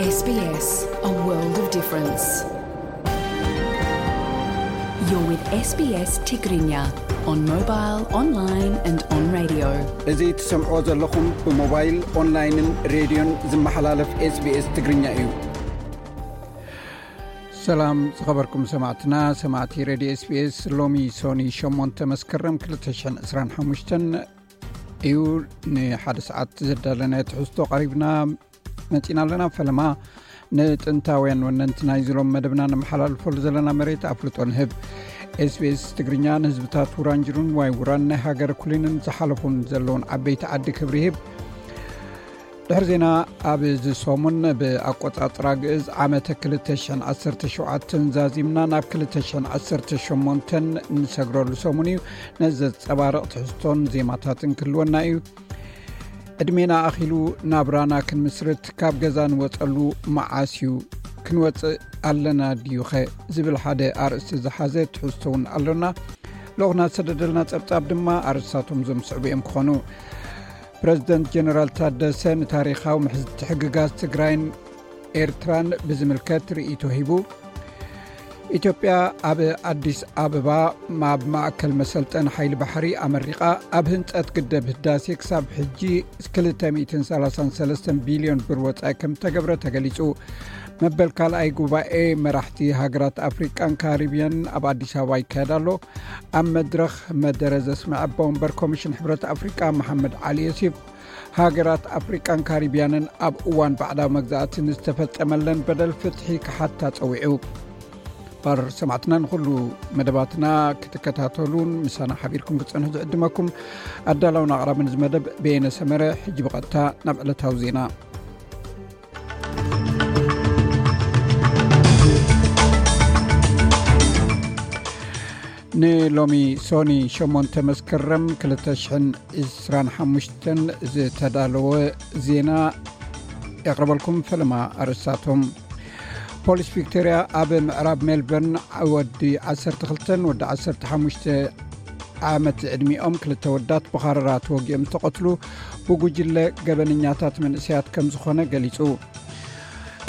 S B S, a world of difference. You're with S B S Tigrinya on mobile, online and on radio. እዚ ትሰምዕዎ ዘለኹም ብሞባይል፣ ኦንላይንን ሬድዮን ዝመሓላለፍ SBS ትግርኛ እዩ። ሰላም ዝኸበርኩም ሰማዕትና፣ ሰማዕቲ ሬድዮ SBS። ሎሚ ሶኒ ሸሞንተ መስከረም ክልተ ሽሕን ዕስራን ሓሙሽተን እዩ። ንሓደ ሰዓት ዘዳለናዮ ትሕዝቶ ቀሪብና መጺና ኣለና። ፈለማ ንጥንታውያን ወነንቲ ናይዚ ሎም መደብና ነመሓላልፈሉ ዘለና መሬት ኣፍልጦ ንህብ። SBS ትግርኛ ንህዝብታት ውራንጅሩን ዋይ ውራን ናይ ሃገር ኩሊንን ዝሓለፉን ዘለውን ዓበይቲ ዓዲ ክብሪ ይህብ። ድሕሪ ዜና፣ ኣብዚ ሰሙን ብኣቆጻጽራ ግእዝ ዓመተ ክልተ ሽሕን ዓሰርተ ሸውዓተን ዛዚምና ናብ ክልተ ሽሕን ዓሰርተ ሸሞንተን ንሰግረሉ ሰሙን እዩ። ነዚ ዘንጸባርቕ ትሕዝቶን ዜማታትን ክህልወና እዩ። ዕድሜና ኣኺሉ ናብራና ክንምስርት ካብ ገዛ ንወጸሉ መዓስ እዩ? ክንወጽእ ኣለና ድዩኸ? ዝብል ሓደ ኣርእስቲ ዝሓዘ ትሕዝቶ እውን ኣሎና። ልኡኽና ዝሰደደልና ጸብጻብ ድማ ኣርእስታቶም እዞም ዝስዕቡ እዮም ክኾኑ። ፕረዚደንት ጀነራል ታደሰ ንታሪኻዊ ምትሕግጋዝ ትግራይን ኤርትራን ብዝምልከት ርእይቶ ሂቡ። ኢትዮጵያ ኣብ ኣዲስ ኣበባ ኣብ ማእከል መሰልጠኒ ሓይሊ ባሕሪ ኣመሪቓ። ኣብ ህንጸት ግደብ ህዳሴ ክሳብ ሕጂ ክልተ ሚእትን ሰላሳን ሰለስተን ቢልዮን ብር ወጻኢ ከም እተገብረ ተገሊጹ። መበል ካልኣይ ጉባኤ መራሕቲ ሃገራት ኣፍሪቃን ካሪብያን ኣብ ኣዲስ ኣበባ ይካየድ ኣሎ። ኣብ መድረኽ መደረ ዘስምዐ ኣቦ ወንበር ኮሚሽን ሕብረት ኣፍሪቃ መሓመድ ዓሊ ዮሴፍ፣ ሃገራት ኣፍሪቃን ካሪብያንን ኣብ እዋን ባዕዳዊ መግዛእቲ ንዝተፈጸመለን በደል ፍትሒ ክሓታ ጸዊዑ። ባር ሰማዕትና፣ ንኹሉ መደባትና ክትከታተሉን ምሳና ሓቢርኩም ክትጸንሑ ዝዕድመኩም ኣዳላውን ኣቕራብን እዚ መደብ በየነ ሰመረ። ሕጂ ብቐጥታ ናብ ዕለታዊ ዜና። ንሎሚ ሶኒ ሸሞንተ መስከረም ክልተ ሽሕን ዕስራን ሓሙሽተን ዝተዳለወ ዜና የቕርበልኩም። ፈለማ ኣርእስታቶም። ፖሊስ ቪክቶርያ ኣብ ምዕራብ ሜልበርን ወዲ ዓሰርተ ክልተን ወዲ ዓሰርተ ሓሙሽተ ዓመት ዕድሚኦም ክልተ ወዳት ብኻረራ ተወጊኦም ዝተቐትሉ ብጉጅለ ገበነኛታት መንእሰያት ከም ዝኾነ ገሊጹ።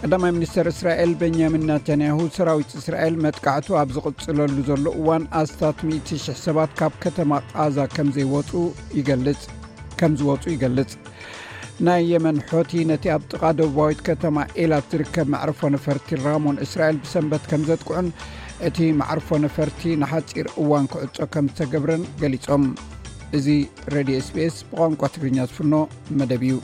ቀዳማይ ሚኒስተር እስራኤል ቤንያሚን ናታንያሁ፣ ሰራዊት እስራኤል መጥቃዕቱ ኣብ ዝቕጽለሉ ዘሎ እዋን ኣስታት ሚእቲ ሽሕ ሰባት ካብ ከተማ ቃዛ ከም ዘይወጹ ይገልጽ፣ ከም ዝወጹ ይገልጽ። ናይ የመን ሖቲ ነቲ ኣብ ጥቓ ደቡባዊት ከተማ ኤላት ዝርከብ መዕርፎ ነፈርቲ ራሞን እስራኤል ብሰንበት ከም ዘጥቅዑን እቲ መዕርፎ ነፈርቲ ንሓጺር እዋን ክዕጾ ከም ዝተገብረን ገሊጾም። እዚ ሬድዮ SBS ብቋንቋ ትግርኛ ዝፍኖ መደብ እዩ።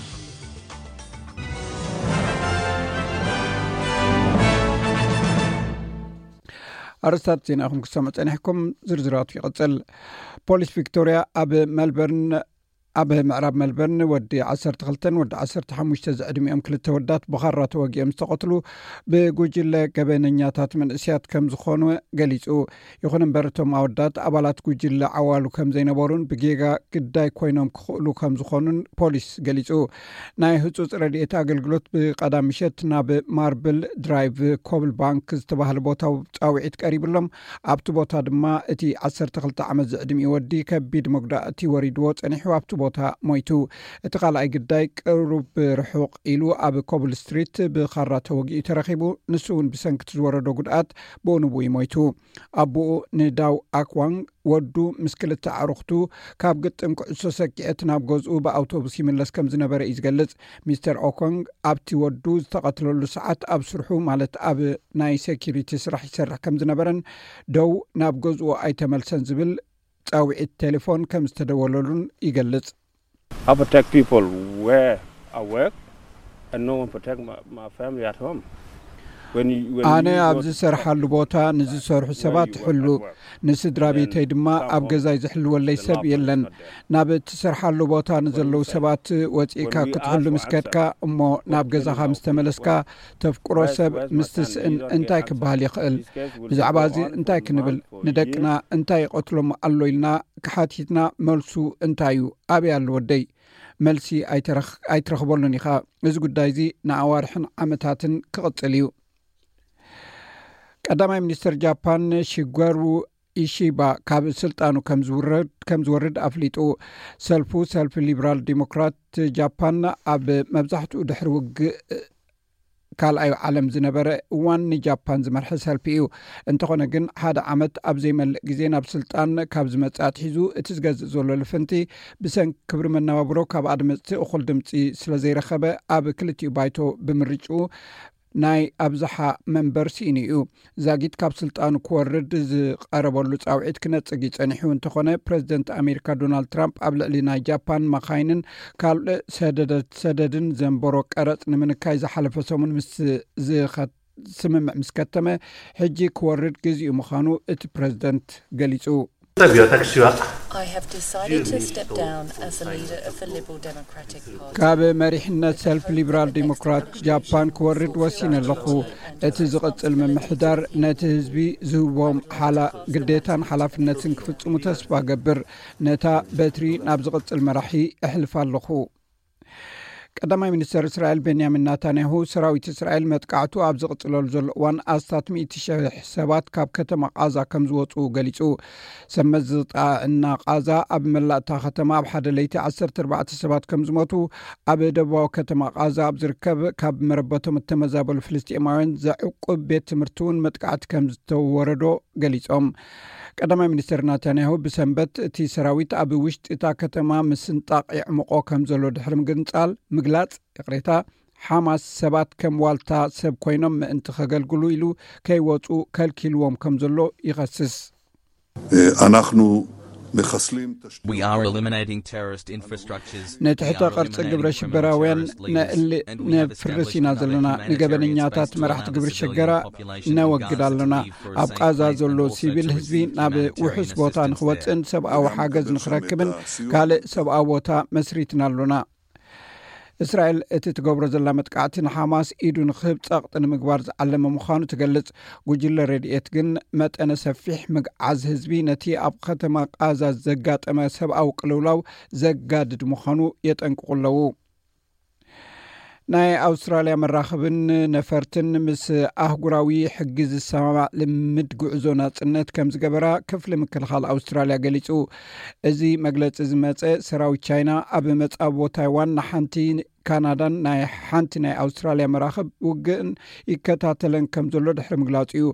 ኣርእስታት ዜናኹም ክሰምዑ ጸኒሕኩም፣ ዝርዝራቱ ይቕጽል። ፖሊስ ቪክቶርያ ኣብ መልበርን፣ ኣብ ምዕራብ መልበርን ወዲ ዓሰርተ ክልተን ወዲ ዓሰርተ ሓሙሽተ ዝዕድሚኦም ክልተ ወዳት ብኻራ ተወጊኦም ዝተቐትሉ ብጉጅለ ገበነኛታት መንእስያት ከም ዝኾኑ ገሊጹ። ይኹን እምበር፣ እቶም ኣወዳት ኣባላት ጉጅለ ዓዋሉ ከም ዘይነበሩን ብጌጋ ግዳይ ኮይኖም ክኽእሉ ከም ዝኾኑን ፖሊስ ገሊጹ። ናይ ህጹጽ ረድኤት ኣገልግሎት ብቐዳም ምሸት ናብ ማርብል ድራይቭ ኮብል ባንክ ዝተባህለ ቦታ ጻውዒት ቀሪብሎም። ኣብቲ ቦታ ድማ እቲ ዓሰርተ ክልተ ዓመት ዝዕድሚኡ ወዲ ከቢድ መጉዳእቲ ወሪድዎ ጸኒሑ ኣብቲ ቦታ ሞይቱ። እቲ ካልኣይ ግዳይ ቅሩብ ርሑቕ ኢሉ ኣብ ኮብል ስትሪት ብኻራ ተወጊኡ ተረኺቡ። ንሱ እውን ብሰንኪ እቲ ዝወረዶ ጉድኣት ብኡ ንብኡ እዩ ሞይቱ። ኣቦኡ ንዳው ኣክዋንግ፣ ወዱ ምስ ክልተ ኣዕሩኽቱ ካብ ግጥም ኩዕሶ ሰኪዐት ናብ ገዝኡ ብኣውቶቡስ ይምለስ ከም ዝነበረ እዩ ዝገልጽ። ሚስተር ኦኮንግ ኣብቲ ወዱ ዝተቐትለሉ ሰዓት ኣብ ስርሑ፣ ማለት ኣብ ናይ ሴኪሪቲ ስራሕ ይሰርሕ ከም ዝነበረን ደው ናብ ገዝኡ ኣይተመልሰን ዝብል ጻውዒት ቴሌፎን ከም ዝተደወለሉን ይገልጽ። I protect people where I work and no one protect my, my family at home. When you, when ኣነ you ኣብ go to ዝሰርሓሉ ቦታ ንዝሰርሑ ሰባት ሕሉ፣ ንስድራ ቤተይ ድማ ኣብ ገዛይ ዝሕልወለይ ሰብ የለን። ናብ እትሰርሓሉ ቦታ ንዘለዉ ሰባት ወጺእካ ክትሕሉ ምስ ከድካ እሞ ናብ ገዛኻ ምስ ተመለስካ ተፍቅሮ ሰብ ምስ ትስእን እንታይ ክበሃል ይኽእል? ብዛዕባ እዚ እንታይ ክንብል? ንደቅና እንታይ ይቐትሎም ኣሎ ኢልና ክሓቲትና መልሱ እንታይ እዩ? ኣበይ ኣሎ ወደይ? መልሲ ኣይትረኽ-፣ ኣይትረኽበሉን ኢኻ። እዚ ጉዳይ እዚ ንኣዋርሕን ዓመታትን ክቕጽል እዩ። ቀዳማይ ሚኒስተር ጃፓን ሺገሩ ኢሺባ ካብ ስልጣኑ ከም ዝውረድ፣ ከም ዝወርድ ኣፍሊጡ። ሰልፉ፣ ሰልፊ ሊበራል ዲሞክራት ጃፓን፣ ኣብ መብዛሕትኡ ድሕሪ ውግእ ካልኣዩ ዓለም ዝነበረ እዋን ንጃፓን ዝመርሐ ሰልፊ እዩ። እንተኾነ ግን ሓደ ዓመት ኣብ ዘይመልእ ግዜ ናብ ስልጣን ካብ ዝመጽእ ኣትሒዙ እቲ ዝገዝእ ዘሎ ልፍንቲ ብሰንኪ ክብሪ መነባብሮ ካብ ኣድመጽቲ እኹል ድምጺ ስለ ዘይረኸበ ኣብ ክልቲኡ ባይቶ ብምርጭኡ ናይ ኣብዝሓ መንበር ስኢኑ እዩ። ዛጊት ካብ ስልጣኑ ክወርድ ዝቐረበሉ ጻውዒት ክነጽግ እዩ ጸኒሑ። እንተኾነ ፕሬዚደንት ኣሜሪካ ዶናልድ ትራምፕ ኣብ ልዕሊ ናይ ጃፓን መኻይንን ካልእ ሰደደት ሰደድን ዘንበሮ ቀረጽ ንምንካይ ዝሓለፈ ሰሙን ምስ ዝኸ- ስምምዕ ምስ ከተመ ሕጂ ክወርድ ግዜኡ ምዃኑ እቲ ፕሬዚደንት ገሊጹ። Tavio taksiwa. I have decided to step down as the leader of the Liberal Democratic Party. ካብ መሪሕነት ሰልፊ ሊብራል ዲሞክራት ጃፓን ክወርድ ወሲነ ኣለኹ። እቲ ዝቕጽል ምምሕዳር ነቲ ህዝቢ ዝህቦም ሓላ ግዴታን ሓላፍነትን ክፍጽሙ ተስፋ ገብር። ነታ በትሪ ናብ ዝቕጽል መራሒ እሕልፍ ኣለኹ። ቀዳማይ ሚኒስተር እስራኤል ቤንያሚን ናታንያሁ ሰራዊት እስራኤል መጥቃዕቱ ኣብ ዝቕጽለሉ ዘሎ እዋን ኣስታት ሚእቲ ሽሕ ሰባት ካብ ከተማ ቃዛ ከም ዝወጹ ገሊጹ። ሰመዝጣ እና ቃዛ ኣብ መላእታ ከተማ ኣብ ሓደ ለይቲ ዓሰርተ ኣርባዕተ ሰባት ከም ዝሞቱ፣ ኣብ ደቡባዊ ከተማ ቃዛ ኣብ ዝርከብ ካብ መረበቶም እተመዛበሉ ፍልስጤማውያን ዘዕቁብ ቤት ትምህርቲ እውን መጥቃዕቲ ከም ዝተወረዶ ገሊጾም። ቀዳማይ ሚኒስተር ናታንያሁ ብሰንበት እቲ ሰራዊት ኣብ ውሽጢ እታ ከተማ ምስንጣቕ የዕምቆ ከም ዘሎ ድሕሪ ምግንጻል ምግላጽ፣ ይቕሬታ፣ ሓማስ ሰባት ከም ዋልታ ሰብ ኮይኖም ምእንቲ ከገልግሉ ኢሉ ከይወጹ ከልኪልዎም ከም ዘሎ ይኸስስ። אנחנו מחסלים תשתיות. We are eliminating terrorist infrastructures. ንትሕተ ቅርጺ ግብረ ሽበራውያን ነእሊ ነፍርስ ኢና ዘለና። ንገበነኛታት መራሕቲ ግብሪ ሽገራ ነወግድ ኣለና። ኣብ ቃዛ ዘሎ ሲቪል ህዝቢ ናብ ውሑስ ቦታ ንክወፅእን ሰብኣዊ ሓገዝ ንክረክብን ካልእ ሰብኣዊ ቦታ መስሪትና ኣሎና። እስራኤል እቲ ትገብሮ ዘላ መጥቃዕቲ ንሓማስ ኢዱ ንክህብ ጸቕጢ ንምግባር ዝዓለመ ምዃኑ ትገልጽ። ጉጅለ ረድኤት ግን መጠነ ሰፊሕ ምግዓዝ ህዝቢ ነቲ ኣብ ከተማ ቃዛ ዘጋጠመ ሰብኣዊ ቅልውላው ዘጋድድ ምዃኑ የጠንቅቑ ኣለዉ። ናይ ኣውስትራልያ መራኽብን ነፈርትን ምስ ኣህጉራዊ ሕጊ ዝሰማማዕ ልምድ ጉዕዞ ናጽነት ከም ዝገበራ ክፍሊ ምክልኻል ኣውስትራልያ ገሊጹ። እዚ መግለጺ ዝመጸ ሰራዊት ቻይና ኣብ መጻብቦ ታይዋን ንሓንቲ ካናዳን ናይ ሓንቲ ናይ ኣውስትራልያ መራኽብ ውግእን ይከታተለን ከም ዘሎ ድሕሪ ምግላጹ እዩ።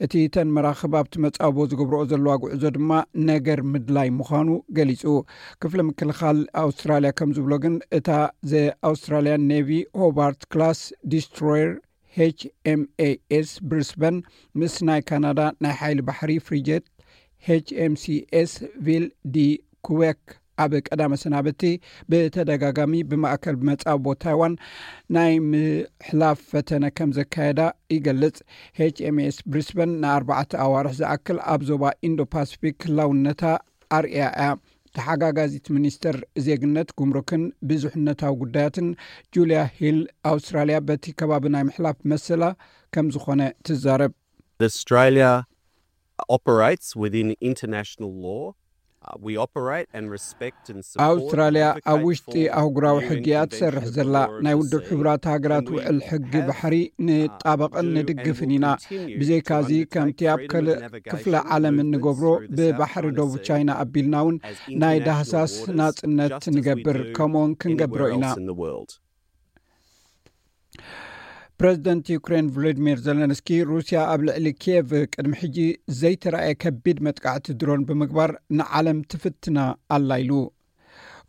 እቲ ተን መራኽብ ኣብቲ መጻብቦ ዝገብርኦ ዘለዋ ጉዕዞ ድማ ነገር ምድላይ ምዃኑ ገሊጹ። ክፍሊ ምክልኻል ኣውስትራልያ ከም ዝብሎ ግን እታ ዘ ኣውስትራልያን ኔቪ ሆባርት ክላስ ዲስትሮየር ኤች ኤም ኤ ኤስ ብሪስበን ምስ ናይ ካናዳ ናይ ሓይሊ ባሕሪ ፍሪጀት ኤች ኤም ሲ ኤስ ቪል ዲ ኩዌክ ኣብ ቀዳመ ሰናብቲ ብተደጋጋሚ ብማእከል መጻብቦ ታይዋን ናይ ምሕላፍ ፈተነ ከም ዘካየዳ ይገልጽ። ኤች ኤም ኤስ ብሪስበን ንኣርባዕተ ኣዋርሕ ዝኣክል ኣብ ዞባ ኢንዶ ፓሲፊክ ህላውነታ ኣርእያ እያ። ተሓጋጋዚት ሚኒስተር ዜግነት፣ ጉምሩክን ብዙሕነታዊ ጉዳያትን ጁልያ ሂል ኣውስትራልያ በቲ ከባቢ ናይ ምሕላፍ መሰላ ከም ዝኾነ ትዛረብ። Australia operates within international law. Uh, we operate and respect and support and ኣውስትራልያ ኣብ advocate ውሽጢ for ኣህጉራዊ U N ሕጊ እያ Convention ትሰርሕ of the ዘላ። Law of ናይ the ውድብ Sea, ሕቡራት ሃገራት and we ውዕል ሕጊ have ባሕሪ uh, ንጣበቕን do and ንድግፍን will ኢና። continue ብዘይካ to እዚ ከምቲ undertake ኣብ freedom ካልእ of navigation ክፍለ ዓለም movements እንገብሮ through the South ብባሕሪ China ደቡብ Sea ቻይና ኣቢልና እውን as ናይ international ዳህሳስ waters, ናጽነት just as we ንገብር do ከምኡውን ክንገብሮ anywhere ኢና። Else in the world. ፕረዚደንት ዩክሬን ቮሎዲሚር ዘለንስኪ ሩስያ ኣብ ልዕሊ ኪየቭ ቅድሚ ሕጂ ዘይተራእየ ከቢድ መጥቃዕቲ ድሮን ብምግባር ንዓለም ትፍትና ኣላ ኢሉ።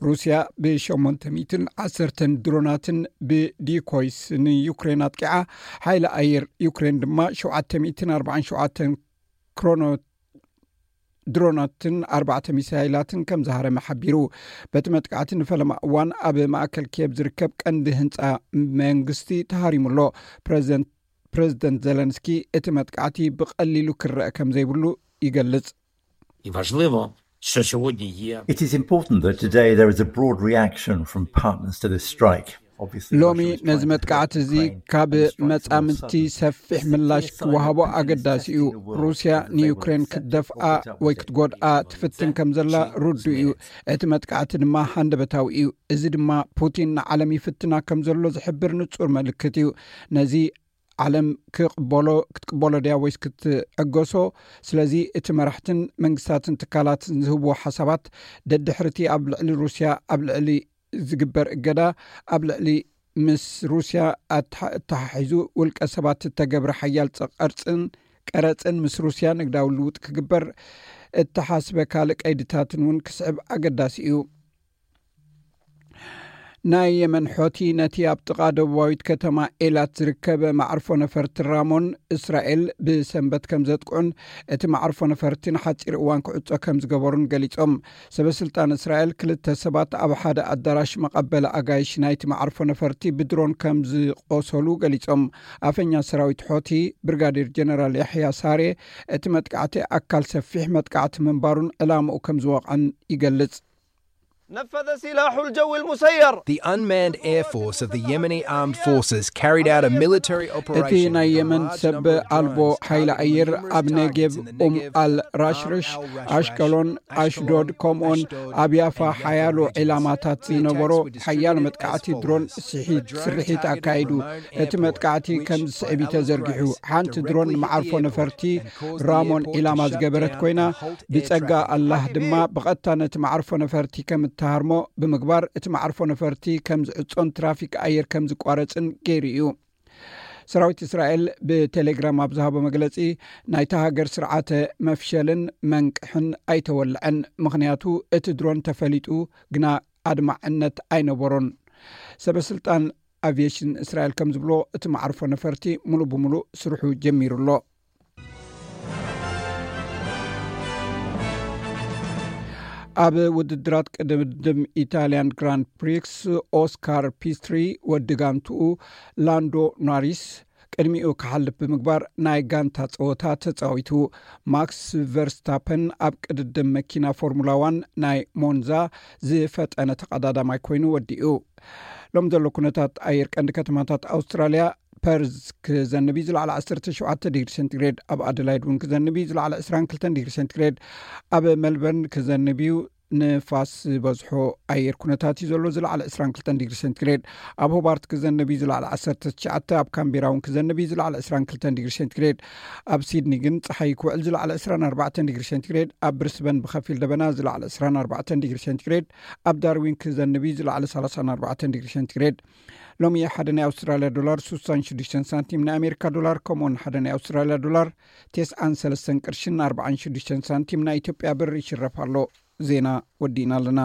ሩስያ ብ810 ድሮናትን ብዲኮይስ ንዩክሬን ኣጥቂዓ፣ ሓይሊ ኣየር ዩክሬን ድማ 747 ክሮኖ ድሮናትን ኣርባዕተ ሚሳይላትን ከም ዝሃረመ ሓቢሩ። በቲ መጥቃዕቲ ንፈለማ እዋን ኣብ ማእከል ኪየብ ዝርከብ ቀንዲ ህንጻ መንግስቲ ተሃሪሙ ኣሎ። ፕረዚደንት ፕረዚደንት ዘለንስኪ እቲ መጥቃዕቲ ብቐሊሉ ክረአ ከም ዘይብሉ ይገልጽ። І важливо, що сьогодні є It is important that today there is a broad reaction from partners to this strike. Obviously, ሎሚ Russia is ነዚ trying to መጥቃዕቲ threaten እዚ Ukraine, ካብ and the strike is መጻምድቲ uncertain. ሰፊሕ ምላሽ ክወሃቦ ኣገዳሲ እዩ። ሩስያ ንዩክሬን ክትደፍኣ ወይ ክትጎድኣ ትፍትን ከም ዘላ ርዱእ እዩ። እቲ መጥቃዕቲ ድማ ሃንደበታዊ እዩ። እዚ ድማ ፑቲን ንዓለም ይፍትና ከም ዘሎ ዝሕብር ንጹር ምልክት እዩ። ነዚ ዓለም ክቕበሎ ክትቅበሎ ድያ ወይስ ክትዕገሶ? ስለዚ እቲ መራሕትን መንግስታትን ትካላትን ዝህብዎ ሓሳባት ደድሕርቲ ኣብ ልዕሊ ሩስያ ኣብ ልዕሊ ዝግበር እገዳ ኣብ ልዕሊ ምስ ሩስያ ኣተሓ- ኣተሓሒዙ ውልቀ ሰባት እተገብረ ሓያል ጸ- ቀርጽን ቀረጽን ምስ ሩስያ ንግዳዊ ልውጥ ክግበር እተሓስበ ካልእ ቀይድታትን እውን ክስዕብ ኣገዳሲ እዩ። ናይ የመን ሖቲ ነቲ ኣብ ጥቓ ደቡባዊት ከተማ ኤላት ዝርከብ መዓርፎ ነፈርቲ ራሞን እስራኤል ብሰንበት ከም ዘጥቅዑን እቲ መዓርፎ ነፈርቲ ንሓጺር እዋን ክዕጾ ከም ዝገበሩን ገሊጾም። ሰበስልጣን እስራኤል ክልተ ሰባት ኣብ ሓደ ኣዳራሽ መቐበሊ ኣጋይሽ ናይቲ መዓርፎ ነፈርቲ ብድሮን ከም ዝቆሰሉ ገሊጾም። ኣፈኛ ሰራዊት ሖቲ ብርጋዴር ጀነራል ያሕያ ሳሬ እቲ መጥቃዕቲ ኣካል ሰፊሕ መጥቃዕቲ ምንባሩን ዕላምኡ ከም ዝወቕዐን ይገልጽ። نفذ سلاح الجو المسير. The unmanned air force of the Yemeni armed forces carried out a military እቲ operation. ናይ የመን ሰብ ኣልቦ ሓይሊ ኣየር ኣብ ነጌብ ኡም ኣል ራሽርሽ፣ ኣሽቀሎን፣ ኣሽዶድ ከምኡን ኣብ ያፋ ሓያሎ ዒላማታት ዝነበሮ ሓያል መጥቃዕቲ ድሮን ስሒት ስርሒት ኣካይዱ። እቲ መጥቃዕቲ ከም ዝስዕብ እዩ ተዘርጊሑ። ሓንቲ ድሮን ንመዓርፎ ነፈርቲ ራሞን ዒላማ ዝገበረት ኮይና፣ ብጸጋ ኣላህ ድማ ብቐጥታ ነቲ መዓርፎ ነፈርቲ ከም እተሃርሞ ብምግባር፣ እቲ መዓርፎ ነፈርቲ ከም ዝዕጾን ትራፊክ ኣየር ከም ዝቋረጽን ገይሩ እዩ። ሰራዊት እስራኤል ብቴሌግራም ኣብ ዝሃቦ መግለጺ፣ ናይታ ሃገር ስርዓተ መፍሸልን መንቅሕን ኣይተወልዐን፣ ምኽንያቱ እቲ ድሮን ተፈሊጡ ግና ኣድማዕነት ኣይነበሮን። ሰበስልጣን ኣቪየሽን እስራኤል ከም ዝብሎ፣ እቲ መዓርፎ ነፈርቲ ሙሉእ ብሙሉእ ስርሑ ጀሚሩ ኣሎ። ኣብ ውድድራት ቅድድም ኢታልያን ግራንድ ፕሪክስ፣ ኦስካር ፒስትሪ ወዲ ጋንትኡ ላንዶ ኖሪስ ቅድሚኡ ክሓልፍ ብምግባር ናይ ጋንታ ጸወታ ተጻዊቱ። ማክስ ቨርስታፐን ኣብ ቅድድም መኪና ፎርሙላ ዋን ናይ ሞንዛ ዝፈጠነ ተቐዳዳማይ ኮይኑ ወዲኡ። ሎም ዘሎ ኩነታት ኣየር ቀንዲ ከተማታት ኣውስትራልያ፣ ፐርዝ ክዘንብ እዩ፣ ዝለዓለ ዓሰርተ ሸውዓተ ዲግሪ ሴንቲግሬድ። ኣብ ኣደላይድ እውን ክዘንብ እዩ፣ ዝለዓለ ዕስራን ክልተን ዲግሪ ሴንቲግሬድ። ኣብ ሜልበርን ክዘንብ እዩ፣ ንፋስ ዝበዝሖ ኣየር ኩነታት እዩ ዘሎ፣ ዝለዓለ ዕስራን ክልተን ዲግሪ ሴንቲግሬድ። ኣብ ሆባርት ክዘንብ እዩ፣ ዝለዓለ ዓሰርተ ትሽዓተ። ኣብ ካምቤራ እውን ክዘንብ እዩ፣ ዝለዓለ ዕስራን ክልተን ዲግሪ ሴንቲግሬድ። ኣብ ሲድኒ ግን ጸሓይ ክውዕል፣ ዝለዓለ ዕስራን ኣርባዕተን ዲግሪ ሴንቲግሬድ። ኣብ ብሪስበን ብኸፊል ደበና፣ ዝለዓለ ዕስራን ኣርባዕተን ዲግሪ ሴንቲግሬድ። ኣብ ዳርዊን ክዘንብ እዩ፣ ዝለዓለ ሰላሳን ኣርባዕተን ዲግሪ ሴንቲግሬድ። ሎሚ ሓደ ናይ ኣውስትራልያ ዶላር ስሳን ሽዱሽተን ሳንቲም፣ ናይ ኣሜሪካ ዶላር ከምኡውን ሓደ ናይ ኣውስትራልያ ዶላር ተስዓን ሰለስተን ቅርሽን ኣርባዓን ሽዱሽተን ሳንቲም ናይ ኢትዮጵያ ብር ይሽረፍ ኣሎ። ዜና ወዲእና ኣለና።